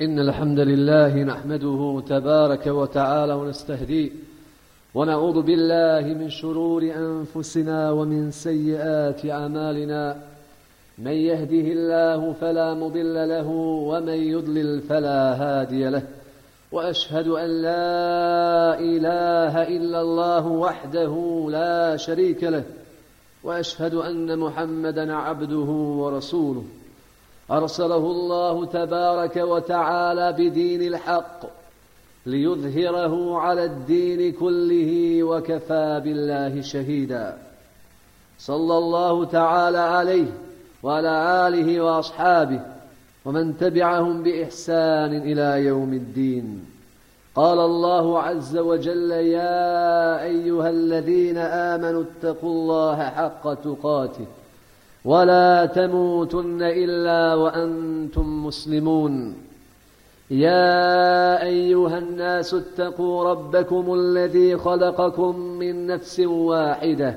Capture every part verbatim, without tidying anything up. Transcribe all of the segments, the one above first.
إن الحمد لله نحمده تبارك وتعالى ونستهديه ونعوذ بالله من شرور أنفسنا ومن سيئات أعمالنا من يهده الله فلا مضل له ومن يضلل فلا هادي له وأشهد أن لا إله إلا الله وحده لا شريك له وأشهد أن محمدا عبده ورسوله أرسله الله تبارك وتعالى بدين الحق ليظهره على الدين كله وكفى بالله شهيدا صلى الله تعالى عليه وعلى آله وأصحابه ومن تبعهم بإحسان إلى يوم الدين. قال الله عز وجل: يا أيها الذين آمنوا اتقوا الله حق تقاته ولا تموتن إلا وأنتم مسلمون. يا أيها الناس اتقوا ربكم الذي خلقكم من نفس واحدة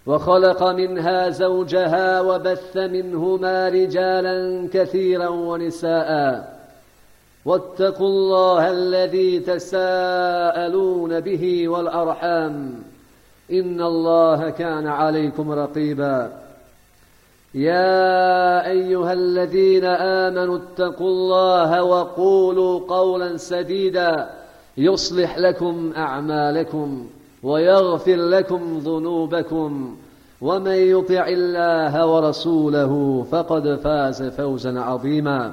وخلق منها زوجها وبث منهما رجالا كثيرا ونساء واتقوا الله الذي تساءلون به والأرحام إن الله كان عليكم رقيبا. يا أيها الذين آمنوا اتقوا الله وقولوا قولا سديدا يصلح لكم أعمالكم ويغفر لكم ذنوبكم ومن يطع الله ورسوله فقد فاز فوزا عظيما.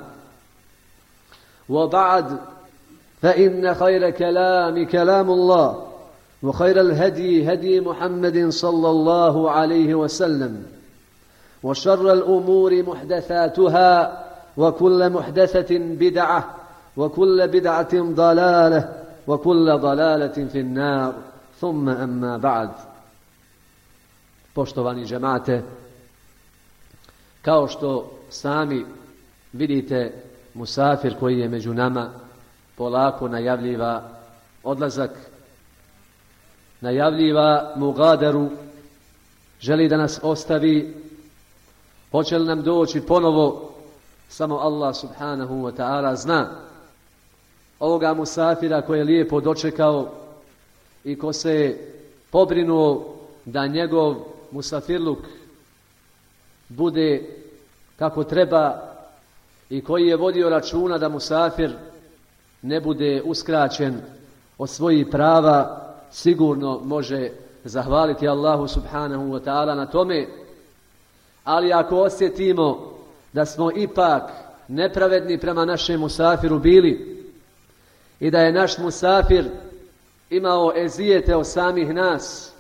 وبعد، فإن خير كلام كلام الله وخير الهدي هدي محمد صلى الله عليه وسلم وشر الأمور محدثاتها وكل محدثة بدعة وكل بدعة ضلالة وكل ضلالة في النار. ثم أما بعد. Poštovani džemate, kao što sami vidite, musafir koji je među nama polako najavljiva odlazak, najavljiva mugadaru, želi da nas ostavi. Hoće li nam doći ponovo, samo Allah subhanahu wa ta'ala zna. Ovoga musafira koji je lijepo dočekao i ko se pobrinuo da njegov musafirluk bude kako treba i koji je vodio računa da musafir ne bude uskraćen od svojih prava, sigurno može zahvaliti Allahu subhanahu wa ta'ala na tome. Ali ako osjetimo da smo ipak nepravedni prema našem musafiru bili i da je naš musafir imao ezijete od samih nas,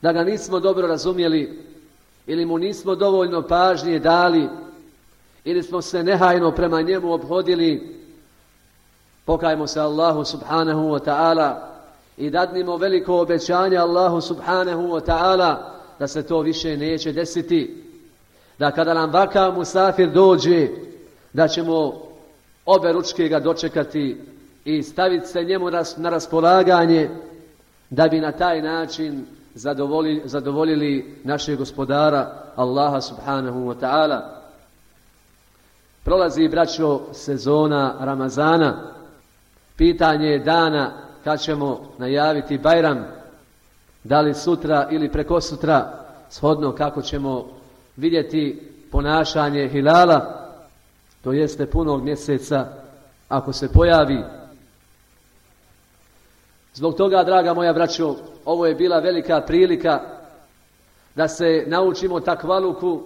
da ga nismo dobro razumjeli ili mu nismo dovoljno pažnje dali ili smo se nehajno prema njemu obhodili, pokajmo se Allahu subhanahu wa ta'ala i dadnimo veliko obećanje Allahu subhanahu wa ta'ala da se to više neće desiti. Da kada nam vakav musafir dođe, da ćemo obe ručke ga dočekati i staviti se njemu na raspolaganje, da bi na taj način zadovoljili, zadovoljili našeg gospodara Allaha subhanahu wa ta'ala. Prolazi, braćo, sezona Ramazana. Pitanje je dana kad ćemo najaviti Bajram, da li sutra ili prekosutra, shodno kako ćemo vidjeti ponašanje hilala, to jeste punog mjeseca, ako se pojavi. Zbog toga, draga moja braćo, ovo je bila velika prilika da se naučimo takvaluku,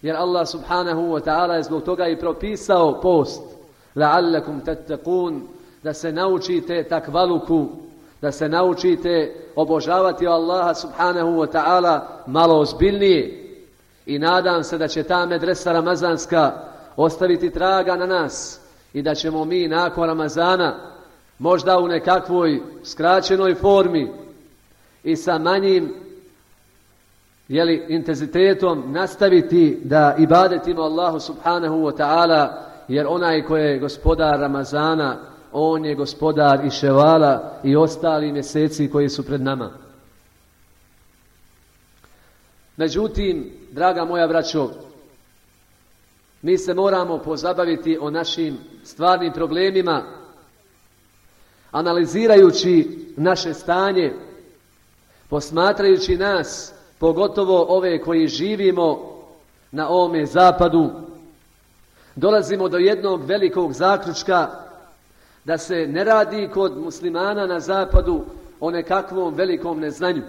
jer Allah subhanahu wa ta'ala je zbog toga i propisao post, la'allakum tattaqun, da se naučite takvaluku, da se naučite obožavati Allaha subhanahu wa ta'ala malo ozbiljnije. I nadam se da će ta medresa ramazanska ostaviti traga na nas i da ćemo mi nakon Ramazana, možda u nekakvoj skraćenoj formi i sa manjim jeli, intenzitetom, nastaviti da ibadetimo Allahu subhanahu wa ta'ala, jer onaj koji je gospodar Ramazana, on je gospodar i ševala i ostali mjeseci koji su pred nama. Međutim, draga moja braćo, Mi se moramo pozabaviti o našim stvarnim problemima, analizirajući naše stanje, posmatrajući nas, pogotovo ove koji živimo na ovome zapadu, dolazimo do jednog velikog zaključka da se ne radi kod muslimana na zapadu o nekakvom velikom neznanju.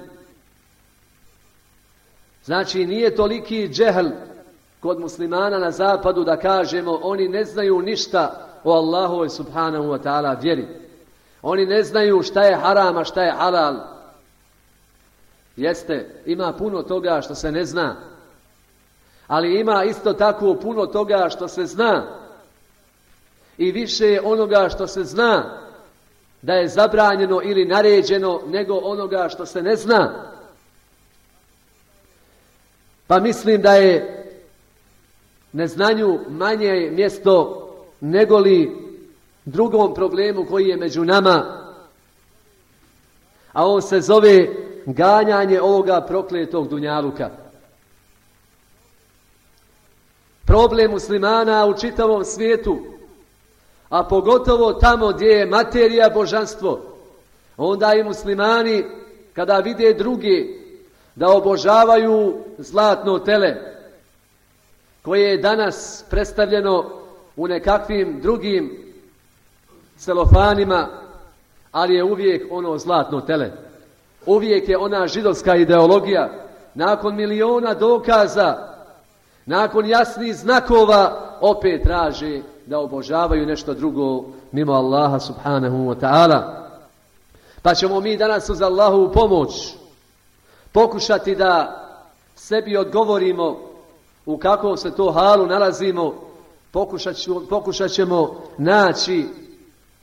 Znači, nije toliki džehl kod muslimana na zapadu da kažemo oni ne znaju ništa o Allahovoj subhanahu wa ta'ala vjeri. Oni ne znaju šta je haram, a šta je halal. Jeste, ima puno toga što se ne zna. Ali ima isto tako puno toga što se zna. I više je onoga što se zna da je zabranjeno ili naređeno nego onoga što se ne zna. Pa mislim da je neznanju manje mjesto negoli drugom problemu koji je među nama, a on se zove ganjanje ovoga prokletog dunjaluka. Problem muslimana u čitavom svijetu, a pogotovo tamo gdje je materija božanstvo, onda i muslimani kada vide drugi da obožavaju zlatno tele koje je danas predstavljeno u nekakvim drugim celofanima, ali je uvijek ono zlatno tele. Uvijek je ona židovska ideologija. Nakon miliona dokaza, nakon jasnih znakova, opet traže da obožavaju nešto drugo mimo Allaha subhanahu wa ta'ala. Pa ćemo mi danas uz Allahovu pomoć pokušati da sebi odgovorimo u kakvom se to halu nalazimo. Pokušat ćemo, pokušat ćemo naći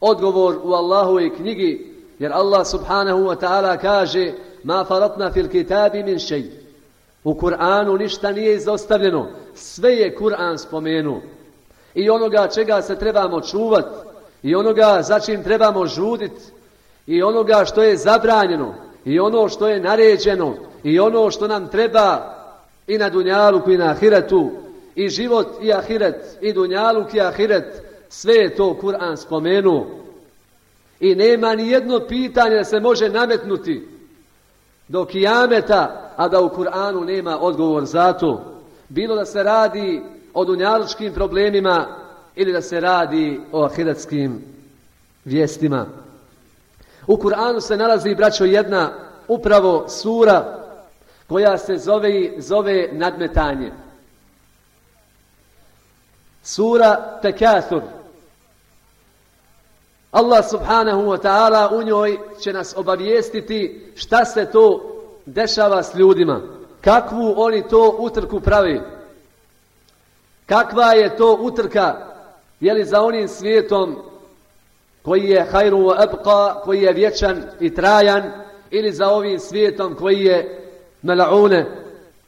odgovor u Allahovoj knjigi, jer Allah subhanahu wa ta'ala kaže ma faratna fil kitabi min shay. U Kur'anu ništa nije izostavljeno, sve je Kur'an spomenuo. I onoga čega se trebamo čuvati, i onoga za čim trebamo žuditi, i onoga što je zabranjeno, i ono što je naređeno, i ono što nam treba i na dunjaluku i na ahiretu, i život i ahiret, i dunjaluk i ahiret, sve je to Kur'an spomenuo. I nema ni jedno pitanje da se može nametnuti do kijameta, a da u Kur'anu nema odgovor za to. Bilo da se radi o dunjalučkim problemima ili da se radi o ahiretskim vijestima. U Kur'anu se nalazi, braćo, jedna upravo sura koja se zove, zove nadmetanje. Sura Tekathur. Allah subhanahu wa ta'ala u njoj će nas obavijestiti šta se to dešava s ljudima. Kakvu oni to utrku pravi. Kakva je to utrka, je li za onim svijetom koji je hajru wa abqa, koji je vječan i trajan, ili za ovim svijetom koji je mal'une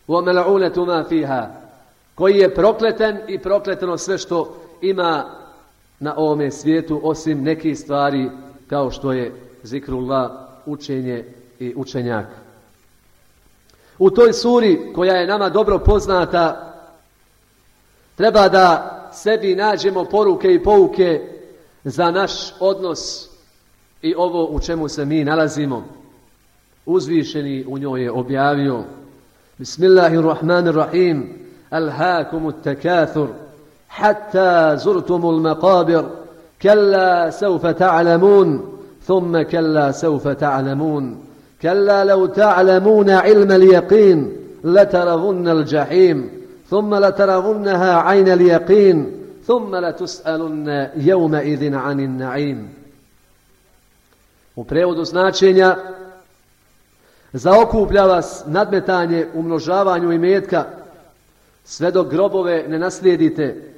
wa mal'unetu ma fiha, koji je prokleten i prokleteno sve što ima na ovome svijetu, osim nekih stvari kao što je zikrullah, učenje i učenjak. U toj suri koja je nama dobro poznata treba da sebi nađemo poruke i pouke za naš odnos i ovo u čemu se mi nalazimo. Uzvišeni u njoj je objavio: Bismillahirrahmanirrahim, alhaakumut takathur hatta zurtumul maqabir, kalla sawfa ta'lamun, thumma kalla sawfa ta'lamun, kalla law ta'lamuna ilma al-yaqin latarawunna al-jahim, thumma latarawunnaha 'ayna al-yaqin, thumma latus'alunna yawma idhin 'anil na'im. U prevodu značenja: zaokuplja vas nadmetanje u množavanju imetka sve dok grobove ne naslijedite,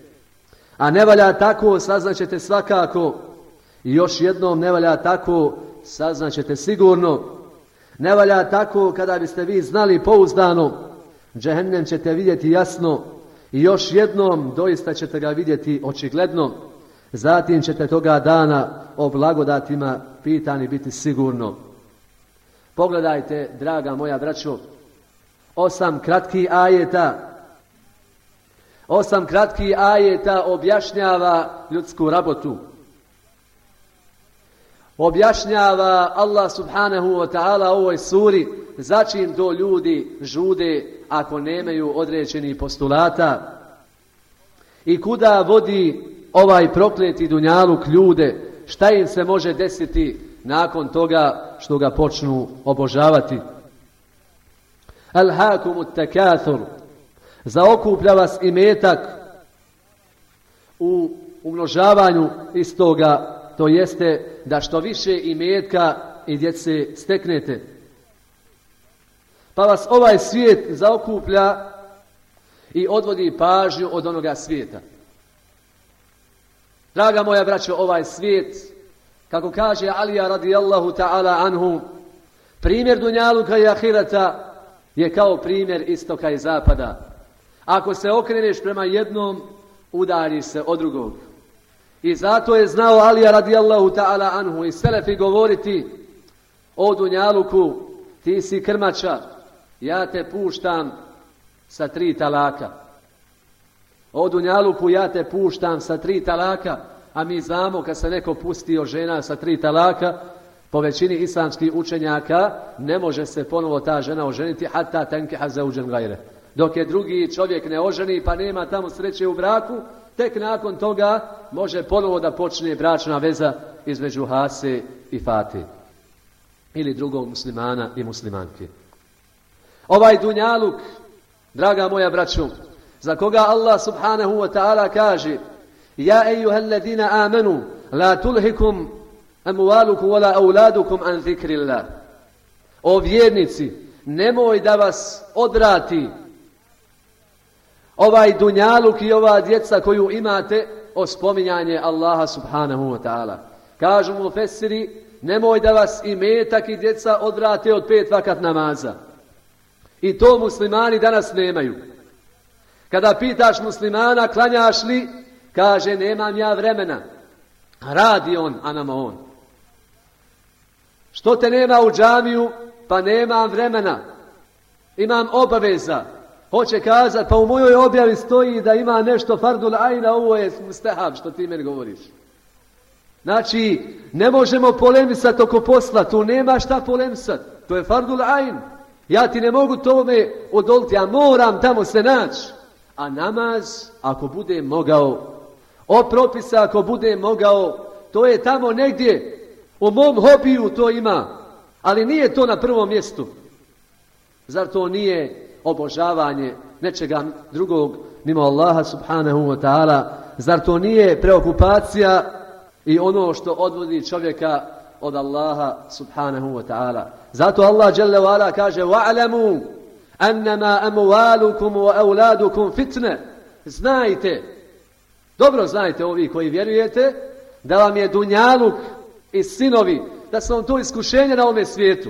a ne valja tako, saznaćete svakako, i još jednom ne valja tako, saznaćete sigurno. Ne valja tako kada biste vi znali pouzdano, džehennem ćete vidjeti jasno, i još jednom doista ćete ga vidjeti očigledno. Zatim ćete toga dana o blagodatima pitani biti sigurno. Pogledajte, draga moja braćo, osam kratkih ajeta, Osam kratkih ajeta objašnjava ljudsku rabotu. Objašnjava Allah subhanahu wa ta'ala u ovoj suri začin to ljudi žude ako nemaju određenih postulata i kuda vodi ovaj prokleti dunjaluk ljude, šta im se može desiti nakon toga što ga počnu obožavati. Alhaakumut takathur, zaokuplja vas imetak u umnožavanju istoga, to jeste da što više imetka i djece steknete. Pa vas ovaj svijet zaokuplja i odvodi pažnju od onoga svijeta. Draga moja braćo, ovaj svijet, kako kaže Alija radijallahu ta'ala anhu, primjer dunjaluka i ahirata je kao primjer istoka i zapada. Ako se okreneš prema jednom, udari se od drugog. I zato je znao Alija radijallahu ta'ala anhu i selefi govoriti: o dunjaluku, ti si krmača, ja te puštam sa tri talaka. O dunjaluku, ja te puštam sa tri talaka, a mi znamo kad se neko pustio žena sa tri talaka, po većini islamskih učenjaka ne može se ponovo ta žena oženiti hatta tankiha zauđen gajre. Dok je drugi čovjek ne oženi pa nema tamo sreće u braku, tek nakon toga može ponovo da počne bračna veza između Hase i Fate ili drugog muslimana i muslimanke. Ovaj dunjaluk, draga moja braćo, za koga Allah subhanahu wa ta'ala kaže: ja ejuhel ladina amanu la tulhikum amwalukum wala auladukum an zikrillah. O vjernici, nemoj da vas odvrati ovaj dunjaluk i ova djeca koju imate o spominjanje Allaha subhanahu wa ta'ala. Kažu mu fesiri, nemoj da vas imetak i djeca odvrate od pet vakat namaza. I to muslimani danas nemaju. Kada pitaš muslimana klanjaš li, kaže nemam ja vremena. Radi on, a nama on. Što te nema u džamiju? Pa nemam vremena. Imam obaveza. Hoće kazati, pa u mojoj objavi stoji da ima nešto fardul ajna, ovo je mustahab što ti meni govoriš. Znači, ne možemo polemisati oko posla, tu nema šta polemisati. To je fardul ajn. Ja ti ne mogu tome odoliti, ja moram tamo se naći. A namaz, ako bude mogao, o propisa ako bude mogao, to je tamo negdje, u mom hobiju to ima, ali nije to na prvom mjestu. Zar to nije obožavanje nečega drugog mimo Allaha subhanahu wa ta'ala? Zar to nije preokupacija i ono što odvodi čovjeka od Allaha subhanahu wa ta'ala? Zato Allah dželle ve ala kaže: wa'lamu annama amwalukum wa auladukum fitne. Znajte, dobro znajte ovi koji vjerujete, da vam je dunjaluk i sinovi, da su vam to iskušenje na ovome svijetu.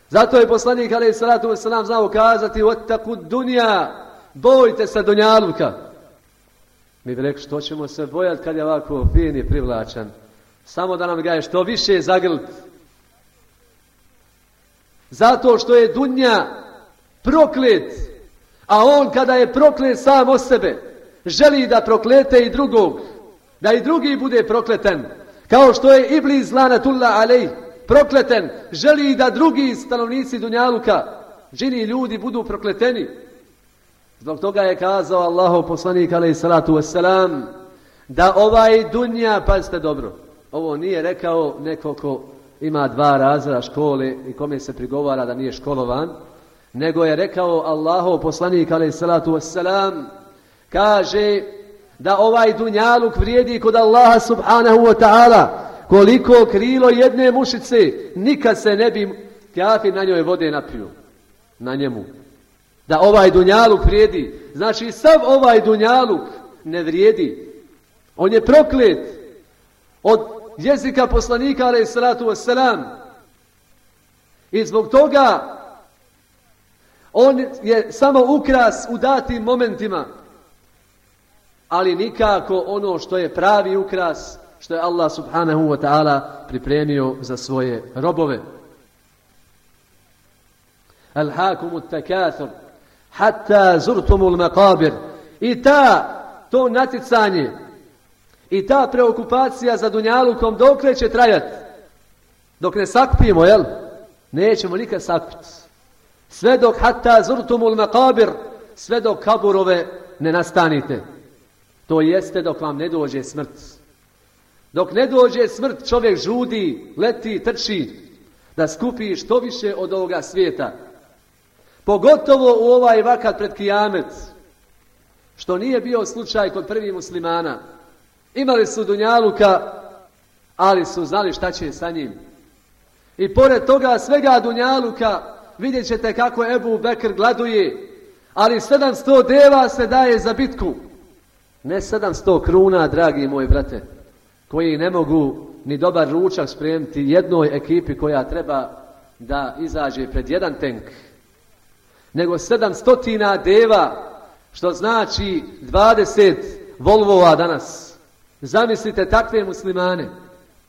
Zato je poslanik alejhi salatu vesselam znao kazati: wattaqud dunya, bojte se dunjaluka. Mi bi rekli, što ćemo se bojati kad je ovako fin i privlačan? Samo da nam ga je što više zagrlit. Zato što je dunja proklet, a on kada je proklet sam o sebe, želi da proklete i drugog, da i drugi bude prokleten. Kao što je Iblis lanatullah alejh prokleten, želi da drugi stanovnici dunjaluka, džini ljudi, budu prokleteni. Zbog toga je kazao Allahov poslanik alejhi salatu vesselam da ovaj dunja, pazite dobro, ovo nije rekao neko ko ima dva razreda škole i kome se prigovara da nije školovan, nego je rekao Allahov poslanik alejhi salatu vesselam, kaže da ovaj dunjaluk vrijedi kod Allaha subhanahu wa ta'ala koliko krilo jedne mušice, nikad se ne bi kafir na njoj vode napio, na njemu. Da ovaj dunjaluk vrijedi. Znači sav ovaj dunjaluk ne vrijedi. On je proklet od jezika poslanika alejhi salatu vesselam. I zbog toga on je samo ukras u datim momentima. Ali nikako ono što je pravi ukras, što je Allah subhanahu wa ta'ala pripremio za svoje robove. Alhaakumut takathur hatta zurtumul maqabir, I ta, to natjecanje i ta preokupacija za dunjalukom dokle će trajati? Dok ne sakupimo, jel? Nećemo nikad sakupiti. Sve dok hatta zurtumul maqabir, sve dok kaburove ne nastanite. To jeste dok vam ne dođe smrt. Dok ne dođe smrt, čovjek žudi, leti, trči da skupi što više od ovoga svijeta. Pogotovo u ovaj vakat pred kijamet, što nije bio slučaj kod prvih muslimana. Imali su dunjaluka, ali su znali šta će sa njim. I pored toga svega dunjaluka vidjet ćete kako Ebu Bekr gladuje, ali sedamsto deva se daje za bitku. Ne sedamsto kruna, dragi moji brate, koji ne mogu ni dobar ručak spremiti jednoj ekipi koja treba da izađe pred jedan tank, nego sedamstotina deva, što znači dvadeset Volvova danas. Zamislite takve muslimane.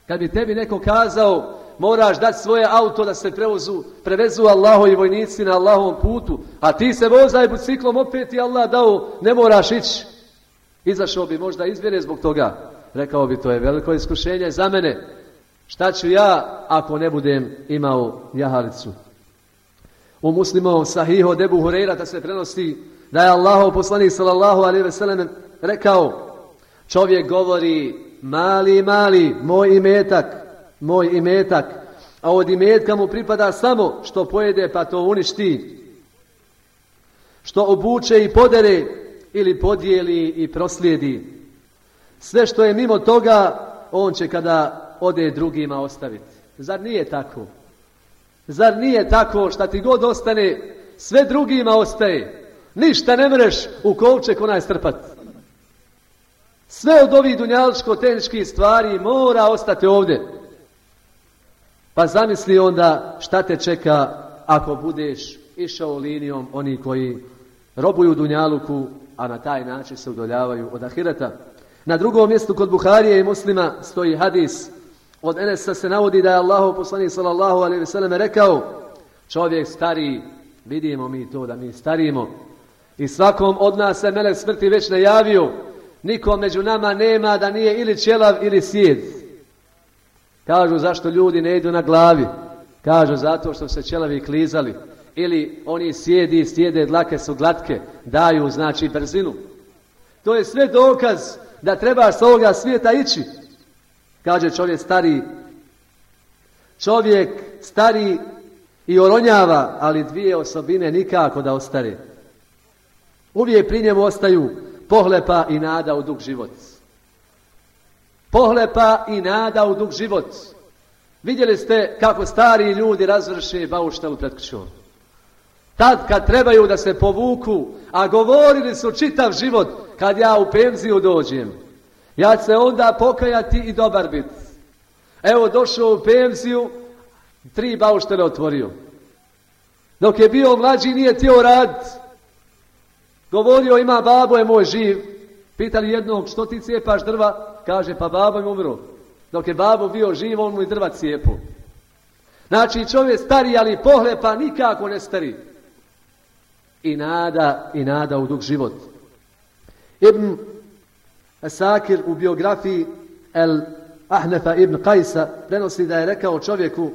Kad bi tebi neko kazao moraš dati svoje auto da se prevozu, prevezu Allahovi vojnici na Allahovom putu, a ti se vozaj biciklom, opet i Allah dao, ne moraš ići. Izašao bi možda iz vjere zbog toga. Rekao bi, to je veliko iskušenje za mene. Šta ću ja ako ne budem imao jahalicu? U Muslimovom sahihu od Ebu Hurejrata se prenosi da je Allahov poslanik sallallahu alejhi ve sellem rekao, čovjek govori, mali, mali, moj imetak, moj imetak, a od imetka mu pripada samo što pojede pa to uništi, što obuče i podere ili podijeli i proslijedi. Sve što je mimo toga, on će kada ode drugima ostaviti. Zar nije tako? Zar nije tako šta ti god ostane, sve drugima ostaje? Ništa ne mreš u kovček onaj strpati. Sve od ovih dunjaličko-tehničkih stvari mora ostati ovdje. Pa zamisli onda šta te čeka ako budeš išao linijom oni koji robuju dunjaluku, a na taj način se udoljavaju od ahireta. Na drugom mjestu kod Buharije i Muslima stoji hadis. Od Enesa se navodi da je Allahov poslanik sallallahu alejhi ve sellem rekao, čovjek stari, vidimo mi to da mi starimo, i svakom od nas se melek smrti već najavio, nikom među nama nema da nije ili ćelav ili sjed. Kažu zašto ljudi ne idu na glavi? Kažu zato što se ćelavi klizali. Ili oni sjedi, sjede, dlake su glatke, daju znači brzinu. To je sve dokaz da treba s ovoga svijeta ići. Kaže čovjek stari, čovjek stari i oronjava, ali dvije osobine nikako da ostare. Uvijek pri njemu ostaju pohlepa i nada u dug život. Pohlepa i nada u dug život. Vidjeli ste kako stari ljudi razvrše bauštelu pred kućom. Tad kad trebaju da se povuku, a govorili su čitav život, kad ja u penziju dođem, ja ću se onda pokajati i dobar bit. Evo došao u penziju, tri bauštele otvorio. Dok je bio mlađi nije htio raditi. Govorio, ima babo je moj živ. Pitali jednog, što ti cijepaš drva? Kaže, pa babo je umro. Dok je babo bio živ, on mu i drva cijepu. Znači čovjek stari, ali pohlepa nikako ne stari. I nada, i nada u dug život. Ibn Asakir u biografiji El Ahnefa ibn Qajsa prenosi da je rekao čovjeku,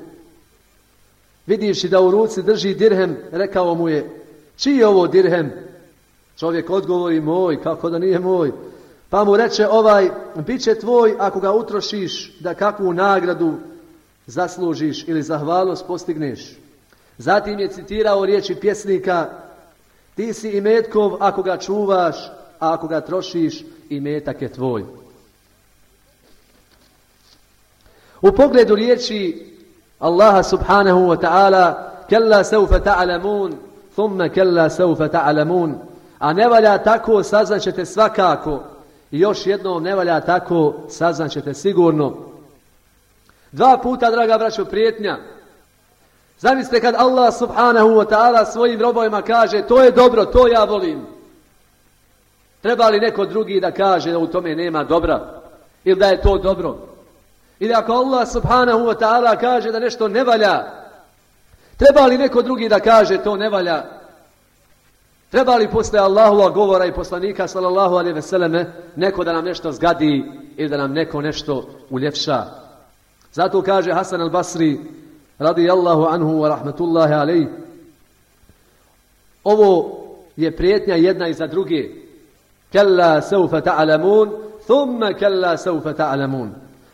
vidivši da u ruci drži dirhem, rekao mu je, čiji je ovo dirhem? Čovjek odgovori, moj, kako da nije moj? Pa mu reče, ovaj, bit će tvoj ako ga utrošiš da kakvu nagradu zaslužiš ili zahvalnost postigneš. Zatim je citirao riječi pjesnika, ti si imetkov ako ga čuvaš, a ako ga trošiš, imetak je tvoj. U pogledu riječi Allaha subhanahu wa ta'ala, kella seufe ta'alamun, thumme kella seufe ta'alamun, a ne valja tako, saznaćete svakako, i još jednom ne valja tako, saznaćete sigurno. Dva puta, draga braćo, prijetnja. Zamislite kad Allah subhanahu wa ta'ala svojim robovima kaže, to je dobro, to ja volim. Treba li neko drugi da kaže da u tome nema dobra? Ili da je to dobro? Ili ako Allah subhanahu wa ta'ala kaže da nešto ne valja, treba li neko drugi da kaže to ne valja? Treba li posle Allahova govora i poslanika sallallahu alejhi ve selleme neko da nam nešto zgadi ili da nam neko nešto uljepša? Zato kaže Hasan al-Basri radijallahu anhu wa rahmatullahi alejhi, ovo je prijetnja jedna iza druge. Kalla sawfa ta'lamun, thumma kalla sawfa ta'lamun.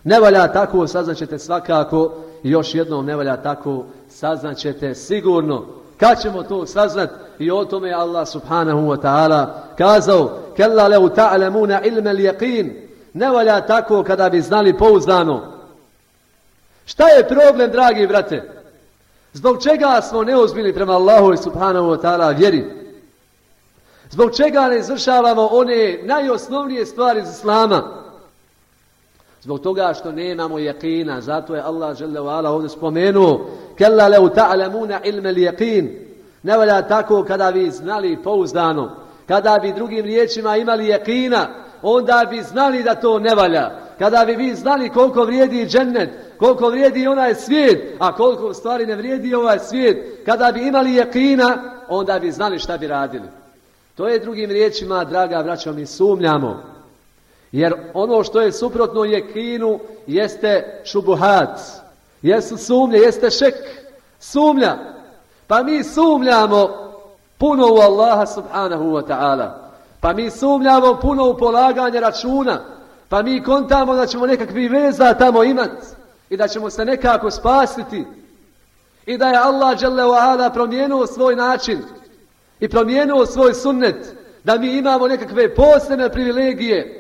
Ne valja tako, saznaćete svakako, i još jednom ne valja tako, saznaćete sigurno. Kad ćemo to saznat? I o tome je Allah subhanahu wa ta'ala kazao: kalla law ta'lamuna ilma al-yaqin. Ne valja tako kada bi znali pouzdano. Šta je problem, dragi brate? Zbog čega smo neozbiljni prema Allahu subhanahu wa ta'ala vjeri? Zbog čega ne izvršavamo one najosnovnije stvari iz Islama? Zbog toga što nemamo jaqina. Zato je Allah dželle ve ala ovdje spomenuo: kalla law ta'lamuna ilma al-yaqin. Ne valja tako kada bi znali pouzdano. Kada bi drugim riječima imali jaqina, onda bi znali da to ne valja. Kada bi vi znali koliko vrijedi džennet, koliko vrijedi onaj svijet, a koliko u stvari ne vrijedi ovaj svijet, kada bi imali jaqina, onda bi znali šta bi radili. To je drugim riječima, draga braćo, mi sumnjamo. Jer ono što je suprotno jekinu jeste šubuhat, jesu sumnje, jeste šek, sumnja. Pa mi sumnjamo puno u Allaha subhanahu wa ta'ala. Pa mi sumnjamo puno u polaganje računa. Pa mi kontamo da ćemo nekakvi veza tamo imati i da ćemo se nekako spasiti. I da je Allah dželle ve ala promijenio svoj način i promijenio svoj sunnet, da mi imamo nekakve posebne privilegije.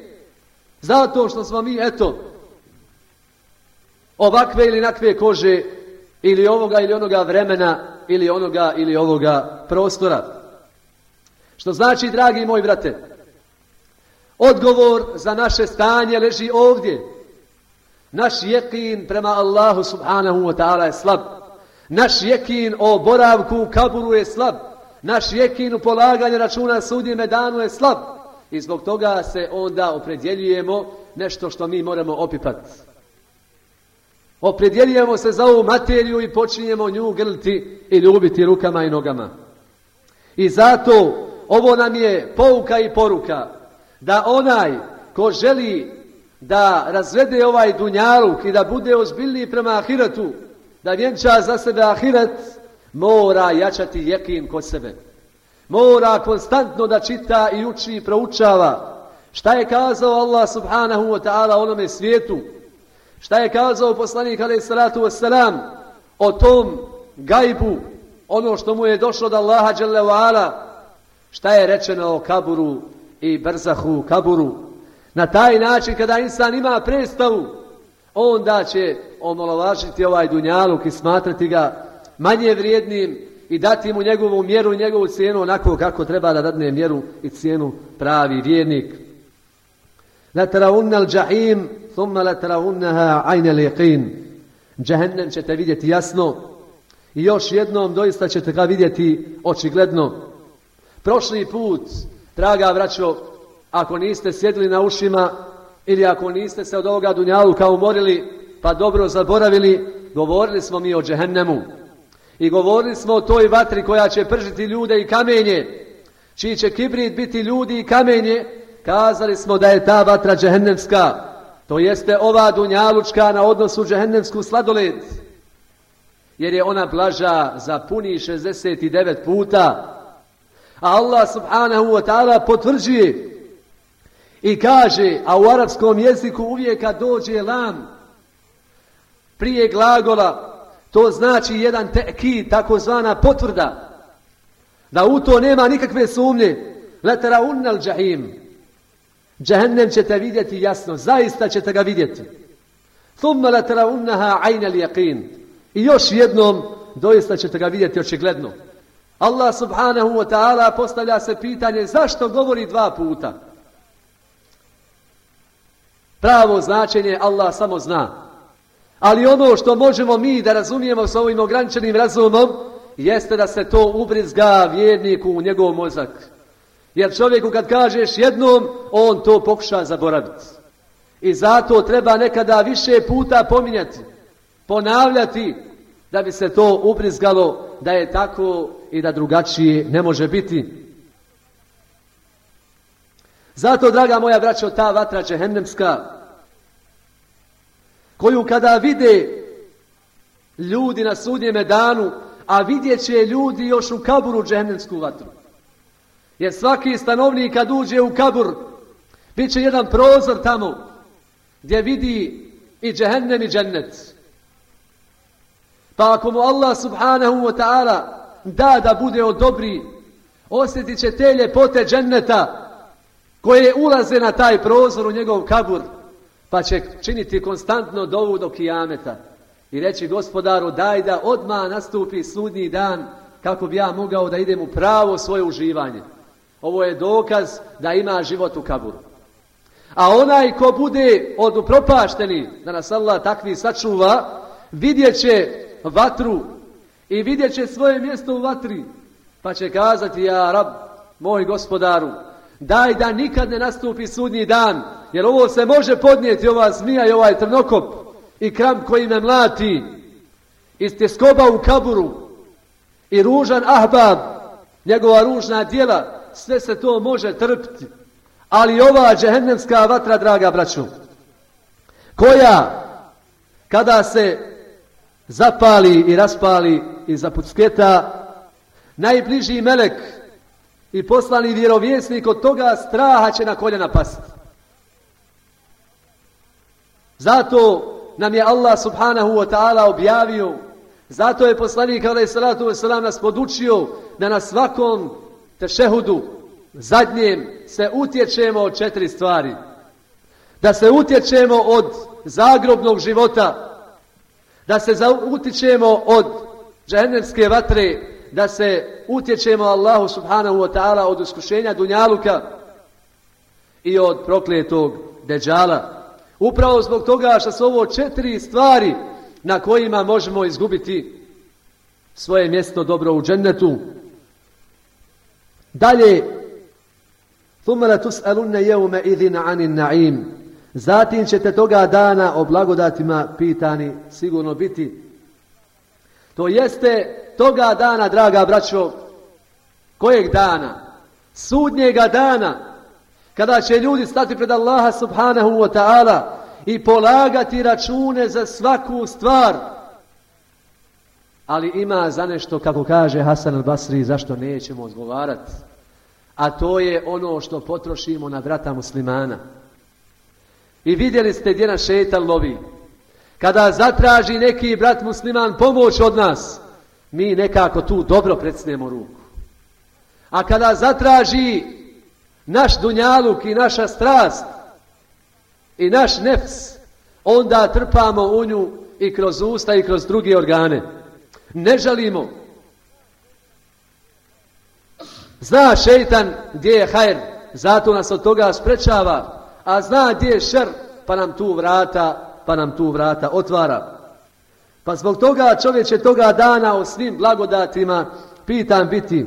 Zato što smo mi, eto, ovakve ili nakve kože, ili ovoga ili onoga vremena, ili onoga ili ovoga prostora. Što znači, dragi moji brate, odgovor za naše stanje leži ovdje. Naš jekin prema Allahu subhanahu wa ta'ala je slab. Naš jekin o boravku u kaburu je slab. Naš jekin u polaganju računa sudnjeme danu je slab. I zbog toga se onda opredjeljujemo nešto što mi moramo opipati. Opredjeljujemo se za ovu materiju i počinjemo nju grliti i ljubiti rukama i nogama. I zato ovo nam je pouka i poruka da onaj ko želi da razvede ovaj dunjaluk i da bude ozbiljniji prema ahiretu, da vjenča za sebe ahiret, mora jačati jekin kod sebe. Mora konstantno da čita i uči i proučava. Šta je kazao Allah subhanahu wa ta'ala onome svijetu? Šta je kazao poslanik alejhi salatu vesselam o tom gajbu, ono što mu je došlo od Allaha dželle ve ala? Šta je rečeno o kaburu i brzahu kaburu? Na taj način kada insan ima predstavu, onda će omalovažiti ovaj dunjaluk i smatrati ga manje vrijednim i dati mu njegovu mjeru i njegovu cijenu onako kako treba da dadne mjeru i cijenu pravi vjernik. La tarawunna al-jahim thumma la tarawunnaha 'ayna al-yaqin. Džehennem ćete vidjeti jasno i još jednom doista ćete ga vidjeti očigledno. Prošli put, draga braćo, ako niste sjedili na ušima ili ako niste se od ovoga dunjaluka umorili pa dobro zaboravili, govorili smo mi o džehennemu. I govorili smo o toj vatri koja će pržiti ljude i kamenje, čiji će kibrit biti ljudi i kamenje. Kazali smo da je ta vatra džehennemska, to jeste ova dunjalučka na odnosu džehennemsku sladoled, jer je ona blaža za puni šezdeset devet puta. A Allah subhanahu wa ta'ala potvrđuje i kaže, a u arapskom jeziku uvijek kad dođe lam prije glagola, to znači jedan tekid, takozvana potvrda, da u to nema nikakve sumnje. La tarawunna al-jahim. Džehennem ćete vidjeti jasno, zaista ćete ga vidjeti. Thumma la tarawunnaha 'ayna al-yaqin. I još jednom doista ćete ga vidjeti očigledno. Allah subhanahu wa ta'ala postavlja se pitanje zašto govori dva puta. Pravo značenje Allah samo zna. Ali ono što možemo mi da razumijemo s ovim ograničenim razumom jeste da se to ubrizga vjerniku u njegov mozak. Jer čovjeku kad kažeš jednom, on to pokuša zaboraviti. I zato treba nekada više puta pominjati, ponavljati, da bi se to ubrizgalo da je tako i da drugačije ne može biti. Zato, draga moja braćo, ta vatra džehennemska, koju kada vide ljudi na sudnjeme danu, a vidjet će ljudi još u kaburu džehennemsku vatru. Jer svaki stanovnik kad uđe u kabur, bit će jedan prozor tamo, gdje vidi i džehennem i džennet. Pa ako mu Allah subhanahu wa ta'ala da da bude od dobri, osjetit će te ljepote dženneta koje ulaze na taj prozor u njegov kabur, pa će činiti konstantno dovu do kijameta i reći Gospodaru daj da odmah nastupi sudnji dan kako bi ja mogao da idem u pravo svoje uživanje. Ovo je dokaz da ima život u kaburu. A onaj ko bude od upropašteni, da nas Allah takvi sačuva, vidjet će vatru i vidjet će svoje mjesto u vatri, pa će kazati ja Rab, moj Gospodaru, daj da nikad ne nastupi sudnji dan, jer ovo se može podnijeti, ova zmija i ovaj trnokop i kramp koji me mlati, i tjeskoba u kaburu i ružan ahbab, njegova ružna djela, sve se to može trpiti. Ali ova džehennemska vatra, draga braćo, koja kada se zapali i raspali i zapucketa, najbliži melek i poslani vjerovjesnik od toga straha će na koljena pasti. Zato nam je Allah subhanahu wa ta'ala objavio, zato je poslanik alejhi salatu vesselam nas podučio da na svakom tešehudu zadnjem se utječemo od četiri stvari. Da se utječemo od zagrobnog života, da se utječemo od džehennemske vatre, da se utječemo Allahu subhanahu wa ta'ala od iskušenja dunjaluka i od prokletog deđala. Upravo zbog toga što su ovo četiri stvari na kojima možemo izgubiti svoje mjesto dobro u džennetu. Dalje, ثُمَّ لَتُسْأَلُنَّ يَوْمَ إِذٍ عَنِ النَّعِيمِ, zatim ćete toga dana o blagodatima pitani sigurno biti. To jeste toga dana, draga braćo, kojeg dana? Sudnjega dana, kada će ljudi stati pred Allaha subhanahu wa ta'ala i polagati račune za svaku stvar. Ali ima za nešto, kako kaže Hasan al-Basri, zašto nećemo odgovarati. A to je ono što potrošimo na brata muslimana. I vidjeli ste gdje nas šejtan lovi. Kada zatraži neki brat musliman pomoć od nas, mi nekako tu dobro predsnemo ruku. A kada zatraži naš dunjaluk i naša strast i naš nefs, onda trpamo u nju i kroz usta i kroz druge organe. Ne žalimo. Zna šejtan gdje je hajr, zato nas od toga sprečava, a zna gdje je šer, pa nam tu vrata, pa nam tu vrata otvara. Pa zbog toga čovjek će toga dana o svim blagodatima pitan biti.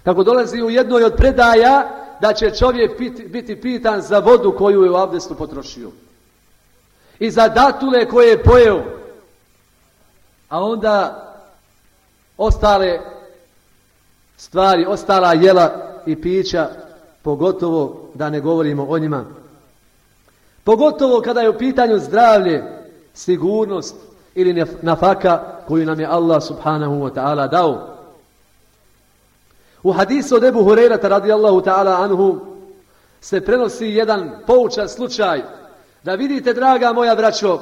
Kako dolazi u jednoj od predaja da će čovjek biti, biti pitan za vodu koju je u abdestu potrošio. I za datule koje je pojeo. A onda ostale stvari, ostala jela i pića, pogotovo da ne govorimo o njima. Pogotovo kada je u pitanju zdravlje, sigurnost ili nafaka koju nam je Allah subhanahu wa ta'ala dao. U hadisu od Ebu Hurejrata radijallahu ta'ala anhu se prenosi jedan poučan slučaj, da vidite, draga moja braćo,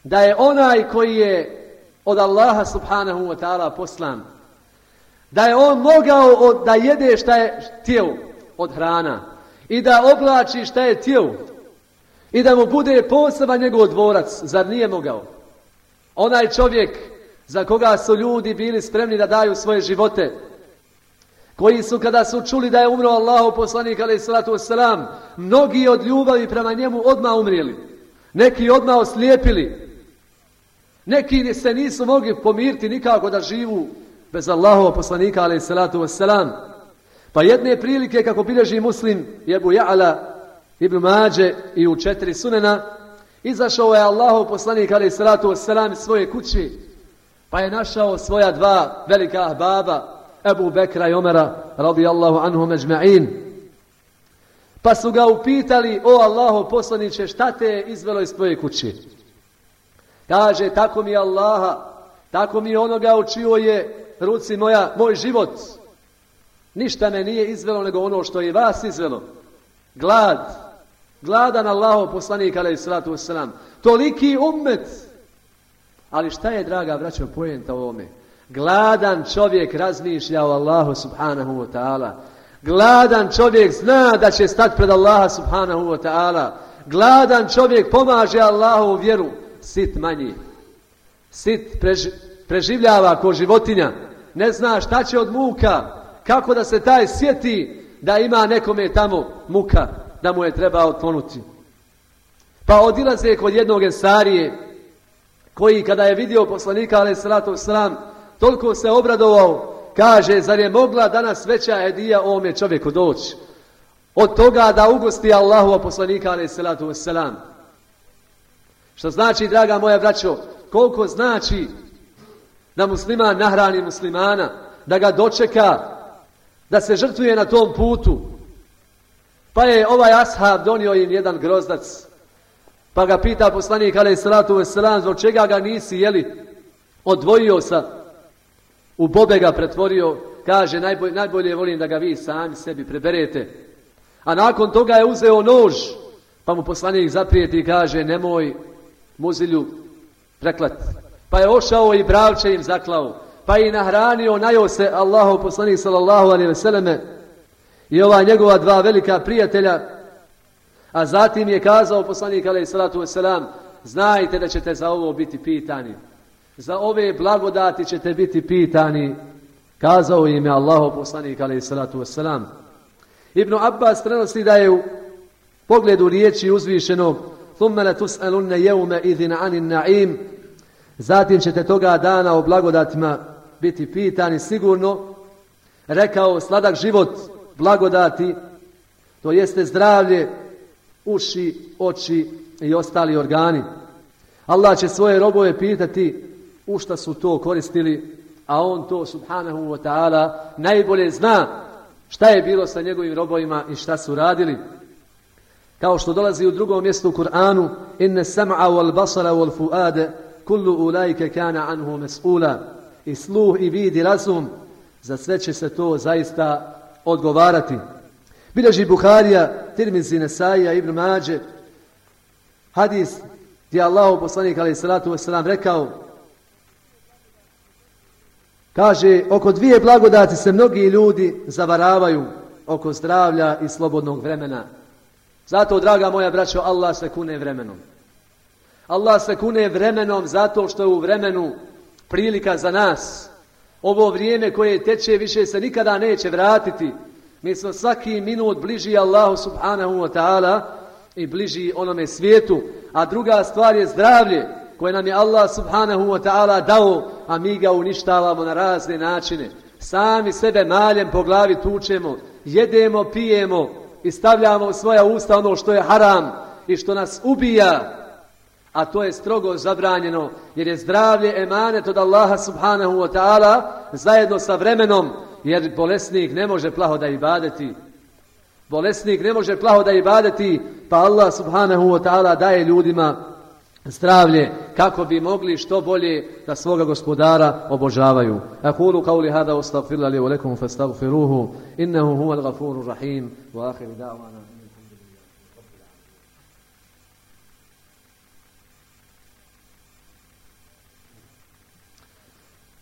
da je onaj koji je od Allaha subhanahu wa ta'ala poslan, da je on mogao od, da jede šta je htio od hrana i da oblači šta je htio i da mu bude poseban njegov dvorac, zar nije mogao? Onaj čovjek za koga su ljudi bili spremni da daju svoje živote, koji su kada su čuli da je umro Allahov poslanik alejhi salatu vesselam, mnogi od ljubavi prema njemu odmah umrijeli, neki odmah oslijepili, neki se nisu mogli pomiriti nikako da živu bez Allahovog poslanika alejhi salatu vesselam. Pa jedne prilike, kako bilježi Muslim i Ebu Ja'la, Ibn Mađe i u četiri sunena, izašao je Allahov poslanik alejhi salatu vesselam iz svoje kuće, pa je našao svoja dva velika ahbaba, Ebu Bekra i Omera radijallahu anhum ejma'in. Pa su ga upitali: o Allaho poslaniče, šta te je izvelo iz tvoje kuće? Kaže: tako mi je Allaha, tako mi je onoga u čijoj je ruci moja, moj život. Ništa me nije izvelo nego ono što je vas izvelo. Glad. Gladan Allahov poslanik alejhi salatu vesselam. Toliki ummet. Ali šta je, draga braćo, poenta u ovome? Gladan čovjek razmišlja o Allahu subhanahu wa ta'ala. Gladan čovjek zna da će stati pred Allaha subhanahu wa ta'ala. Gladan čovjek pomaže Allahovu vjeru. Sit manji. Sit prež, preživljava ko životinja. Ne zna šta će od muka. Kako da se taj sjeti da ima nekome tamo muka, da mu je treba otkloniti. Pa odilaze kod jednog ensarije, koji kada je vidio poslanika alejhi salatu vesselam, toliko se obradovao, kaže: zar je mogla danas veća hedija ovome čovjeku doći od toga da ugosti Allahova poslanika alejhi salatu vesselam? Što znači, draga moja braćo, koliko znači da musliman nahrani muslimana, da ga dočeka, da se žrtvuje na tom putu. Pa je ovaj ashab donio im jedan grozdac, pa ga pita poslanik alejhi salatu vesselam: zbog čega ga nisi jeli? Odvojio sa, u bobe ga pretvorio. Kaže: najbolje, najbolje volim da ga vi sami sebi preberete. A nakon toga je uzeo nož, pa mu poslanik zaprijeti i kaže: nemoj muzilju preklat. Pa je ošao i bravče im zaklao, pa i nahranio, najao se Allahov poslanik sallallahu alejhi ve selleme i ova njegova dva velika prijatelja. A zatim je kazao poslanik alejhi salatu vesselam: znajte da ćete za ovo biti pitani, za ove blagodati ćete biti pitani. Kazao im je Allahov poslanik alejhi salatu vesselam. Ibn Abbas prenosi da je u pogledu riječi uzvišeno: thumma latus'alunna yawma idhin 'anil na'im, zatim ćete toga dana o blagodatima biti pitani sigurno. Rekao: sladak život, blagodati, to jeste zdravlje, uši, oči i ostali organi. Allah će svoje robove pitati u šta su to koristili, a on to subhanahu wa ta'ala najbolje zna šta je bilo sa njegovim robovima i šta su radili. Kao što dolazi u drugom mjestu u Kur'anu: inne sam'a wal basara wal fu'ade kullu ulajke kana anhu mes'ula. I sluh i vid i razum, za sve će se to zaista odgovarati. Bilježi Buharija, Tirmizi, Nesaija, Ibn Mađe hadis gdje Allahov poslanik alejhi salatu vesselam rekao, kaže: oko dvije blagodati se mnogi ljudi zavaravaju, oko zdravlja i slobodnog vremena. Zato, draga moja braćo, Allah se kune vremenom. Allah se kune vremenom zato što je u vremenu prilika za nas. Ovo vrijeme koje teče više se nikada neće vratiti. Mi smo svaki minut bliži Allahu subhanahu wa ta'ala i bliži onome svijetu. A druga stvar je zdravlje koje nam je Allah subhanahu wa ta'ala dao, a mi ga uništavamo na razne načine. Sami sebe maljem po glavi tučemo, jedemo, pijemo i stavljamo u svoja usta ono što je haram i što nas ubija. A to je strogo zabranjeno, jer je zdravlje emanet od Allaha subhanahu wa ta'ala zajedno sa vremenom, jer bolesnik ne može plaho da ibadeti. Bolesnik ne može plaho da ibadeti, pa Allah subhanahu wa ta'ala daje ljudima zdravlje kako bi mogli što bolje da svoga gospodara obožavaju. Aqulu qawli hada wastaghfiru li wa lakum fastaghfiruhu innahu huwal ghafurur rahim wa akhiru da'wana.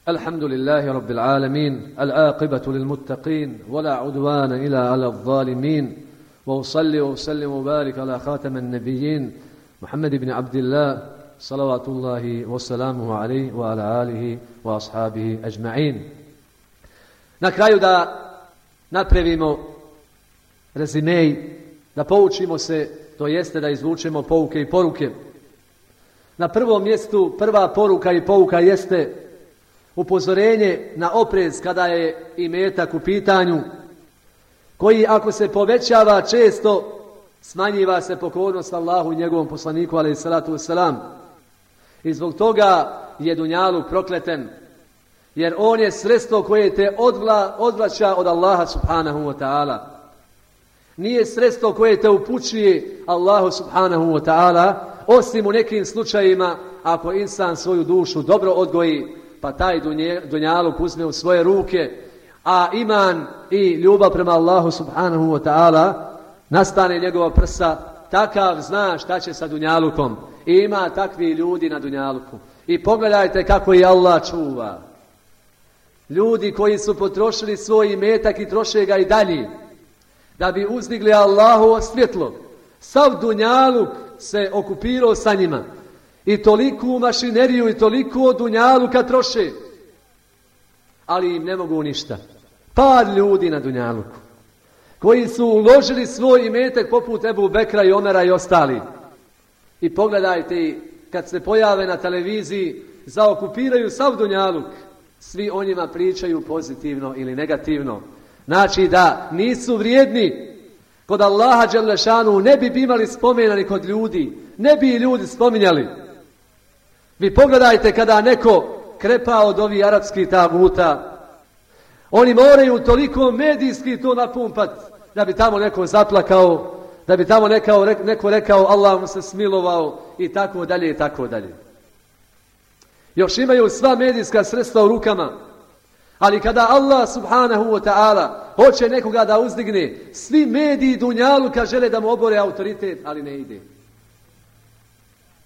الحمد لله رب العالمين العاقبة للمتقين ولا عدوان إلا على الظالمين وأصلي وأسلم وبارك على خاتم النبيين محمد بن عبد الله صلوات الله وسلامه عليه وعلى آله وأصحابه أجمعين. Na kraju da napravimo rezimej, da poučimo se, to jeste da izvučemo pouke i poruke. Na prvom mjestu prva poruka i pouka jeste upozorenje na oprez kada je imetak u pitanju, koji ako se povećava često smanjiva se pokornost Allahu i njegovom poslaniku alejhi salatu vesselam. I zbog toga je dunjaluk prokleten, jer on je sredstvo koje te odvla, odvraća od Allaha subhanahu wa ta'ala. nije sredstvo koje te upućuje Allahu subhanahu wa ta'ala, osim u nekim slučajima ako insan svoju dušu dobro odgoji, pa taj dunjaluk uzme u svoje ruke, a iman i ljubav prema Allahu subhanahu wa ta'ala nastane njegova prsa, takav zna šta će sa dunjalukom. I ima takvi ljudi na dunjaluku. I pogledajte kako je Allah čuva. Ljudi koji su potrošili svoj imetak i troše ga i dalje, da bi uzdigli Allahovo svjetlo. Sav dunjaluk se okupirao sa njima. I toliku mašineriju i toliko dunjaluka troše. Ali im ne mogu ništa. Par ljudi na dunjaluku koji su uložili svoj imetak poput Ebu Bekra i Omera i ostali. I pogledajte, kad se pojave na televiziji, zaokupiraju sav dunjaluk. Svi o njima pričaju pozitivno ili negativno. Znači da nisu vrijedni. Kod Allaha dželešanu ne bi imali spomena ni kod ljudi. Ne bi ljudi spominjali. Vi pogledajte kada neko krepa od ovih arapskih taguta. Oni moraju toliko medijski to napumpat da bi tamo neko zaplakao, da bi tamo neko, neko rekao Allah mu se smilovao i tako dalje i tako dalje. Još imaju sva medijska sredstva u rukama. Ali kada Allah subhanahu wa ta'ala hoće nekoga da uzdigne, svi mediji dunjaluka žele da mu obore autoritet, ali ne ide.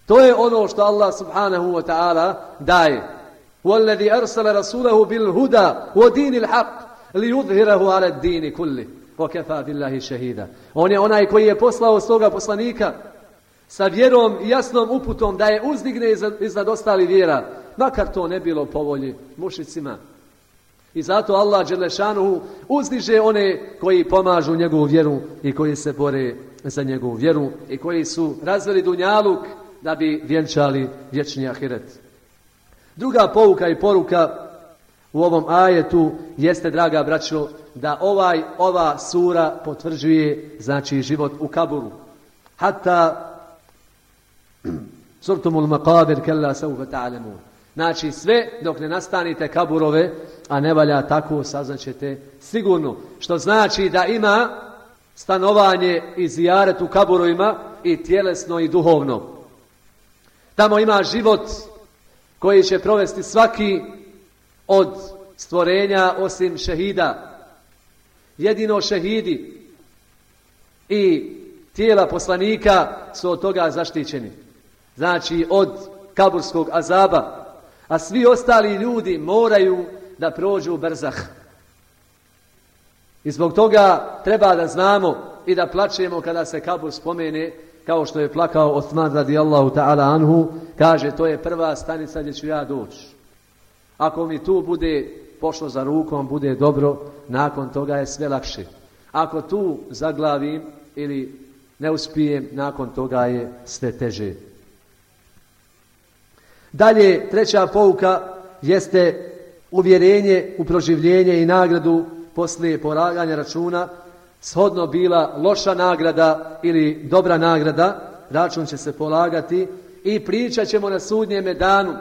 To je ono što Allah subhanahu wa ta'ala daje. وَالَّذِي أَرْسَلَ رَسُولَهُ بِالْهُدَى وَدِينِ الْحَقِّ لِيُظْهِرَهُ عَلَى الدِّينِ كُلِّهِ وَكَفَى بِاللَّهِ شَهِيدًا. On je onaj koji je poslao svoga poslanika sa vjerom i jasnom uputom da je uzdigne iznad ostali vjera, makar to ne bilo po volji mušicima. I zato Allah dželešanuhu uzdiže one koji pomažu njegovu vjeru i koji se bore za njegovu vjeru i koji su razveli dunjaluk da bi vjenčali vječni ahiret. Druga pouka i poruka u ovom ajetu jeste, draga braćo, da ovaj, ova sura potvrđuje, znači, život u kaburu. Hatta surtumul maqabir kella sawfa ta'lamun. Znači, sve dok ne nastanite kaburove, a ne valja tako, saznaćete sigurno. Što znači da ima stanovanje i zijaret u kaburovima i tjelesno i duhovno. Tamo ima život koji će provesti svaki od stvorenja osim šehida. Jedino šehidi i tijela poslanika su od toga zaštićeni. Znači od kaburskog azaba. A svi ostali ljudi moraju da prođu berzah. I zbog toga treba da znamo i da plačemo kada se kabur spomene, kao što je plakao Osman radijallahu ta'ala anhu, kaže to je prva stanica gdje ću ja doći. Ako mi tu bude pošlo za rukom, bude dobro, nakon toga je sve lakše. Ako tu zaglavim ili ne uspijem, nakon toga je sve teže. Dalje, treća pouka jeste uvjerenje u proživljenje i nagradu poslije polaganja računa. Shodno bila loša nagrada ili dobra nagrada, račun će se polagati i pričat ćemo na sudnjeme danu.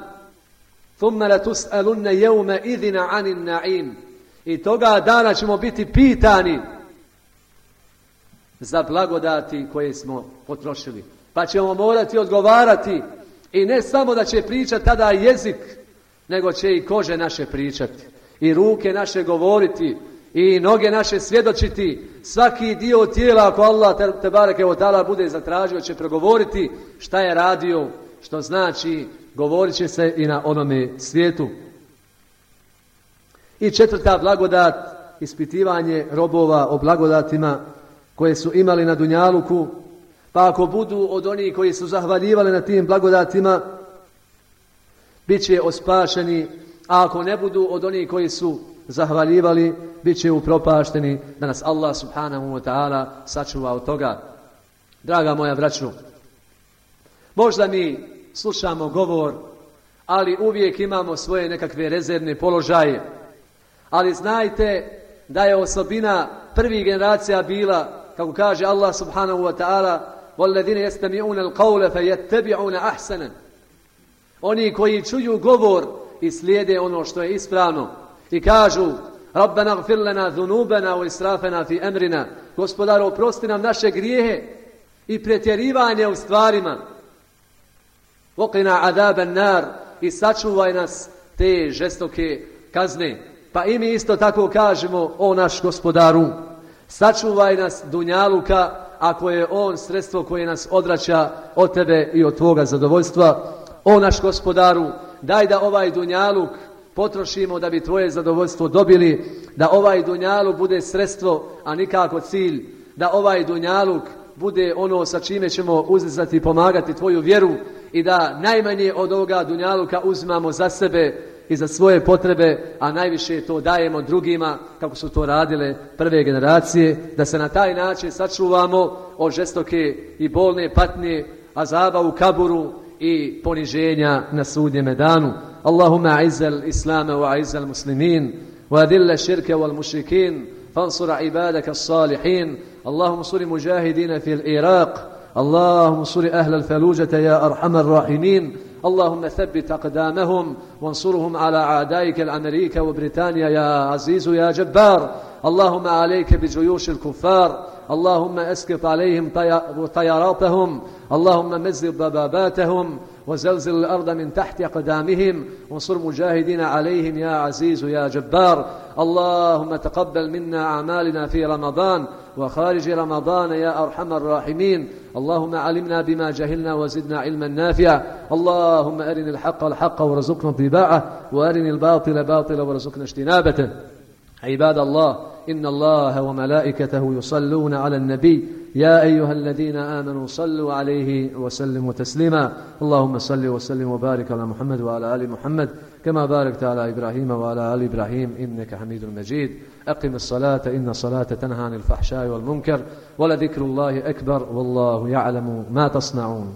ثُمَّ لَتُسْأَلُنَّ يَوْمَ إِذِنَ عَنِ النَّعِيمِ. I toga dana ćemo biti pitani za blagodati koje smo potrošili. Pa ćemo morati odgovarati i ne samo da će pričati tada jezik, nego će i kože naše pričati, i ruke naše govoriti, i noge naše svjedočiti. Svaki dio tijela, ako Allah te, te bareke ve taala bude zatražio, će progovoriti šta je radio, što znači govorit će se i na onome svijetu. I četvrta blagodat, ispitivanje robova o blagodatima koje su imali na dunjaluku, pa ako budu od onih koji su zahvaljivali na tim blagodatima, bit će ospašeni, a ako ne budu od onih koji su zahvaljivali, bit će upropašteni, da nas Allah subhanahu wa ta'ala sačuva od toga. Draga moja braćo, možda mi slušamo govor, ali uvijek imamo svoje nekakve rezervne položaje. Ali znajte da je osobina prvih generacija bila, kako kaže Allah subhanahu wa ta'ala, وَالَّذِينَ يَسْتَمِعُونَ الْقَوْلَ فَيَتَّبِعُونَ أَحْسَنًا. Oni koji čuju govor i slijede ono što je ispravno i kažu رَبَّنَا اغْفِرْ لَنَا ذُنُوبَنَا وَإِسْرَافَنَا فِي أَمْرِنَا Gospodaru, oprosti nam naše grijehe i pretjerivanje u stvarima. Waqina adaban nar, i sačuvaj nas te žestoke kazne. Pa i mi isto tako kažemo, o naš Gospodaru, sačuvaj nas dunjaluka, ako je on sredstvo koje nas odvraća od tebe i od tvoga zadovoljstva. O naš Gospodaru, daj da ovaj dunjaluk potrošimo da bi tvoje zadovoljstvo dobili, da ovaj dunjaluk bude sredstvo, a nikako cilj, da ovaj dunjaluk bude ono sa čime ćemo uzdizati i pomagati tvoju vjeru i da najmanje od ovoga dunjaluka uzimamo za sebe i za svoje potrebe, a najviše to dajemo drugima, kako su to radile prve generacije, da se na taj način sačuvamo od žestoke i bolne patnje, azaba u kaburu i poniženja na sudnjem danu. Allahumma a'izzal islama wa a'izzal muslimin wa adilla širka wal mušrikin fansur ibadaka as-salihin. Allahumma suri mujahidina fil Iraq, Allahumma suri ahla al-falujata ya arhamar rahimin. اللهم ثبت أقدامهم وانصرهم على أعدائك الأمريكا وبريطانيا يا عزيز يا جبار. اللهم عليك بجيوش الكفار، اللهم اسقط عليهم طياراتهم، اللهم مزق ضباباتهم وزلزل الأرض من تحت أقدامهم وانصر مجاهدين عليهم يا عزيز يا جبار. اللهم تقبل منا أعمالنا في رمضان وخارج رمضان يا أرحم الراحمين. اللهم علمنا بما جهلنا وزدنا علما نافعا. اللهم أرنا الحق الحق وارزقنا اتباعه وأرنا الباطل باطلا وارزقنا اجتنابه. عباد الله، إن الله وملائكته يصلون على النبي يا أيها الذين آمنوا صلوا عليه وسلموا تسليما. اللهم صل وسلم وبارك على محمد وعلى آل محمد كما باركت على إبراهيم وعلى آل إبراهيم إنك حميد مجيد. أقم الصلاة إن الصلاة تنهى عن الفحشاء والمنكر ولذكر الله أكبر والله يعلم ما تصنعون.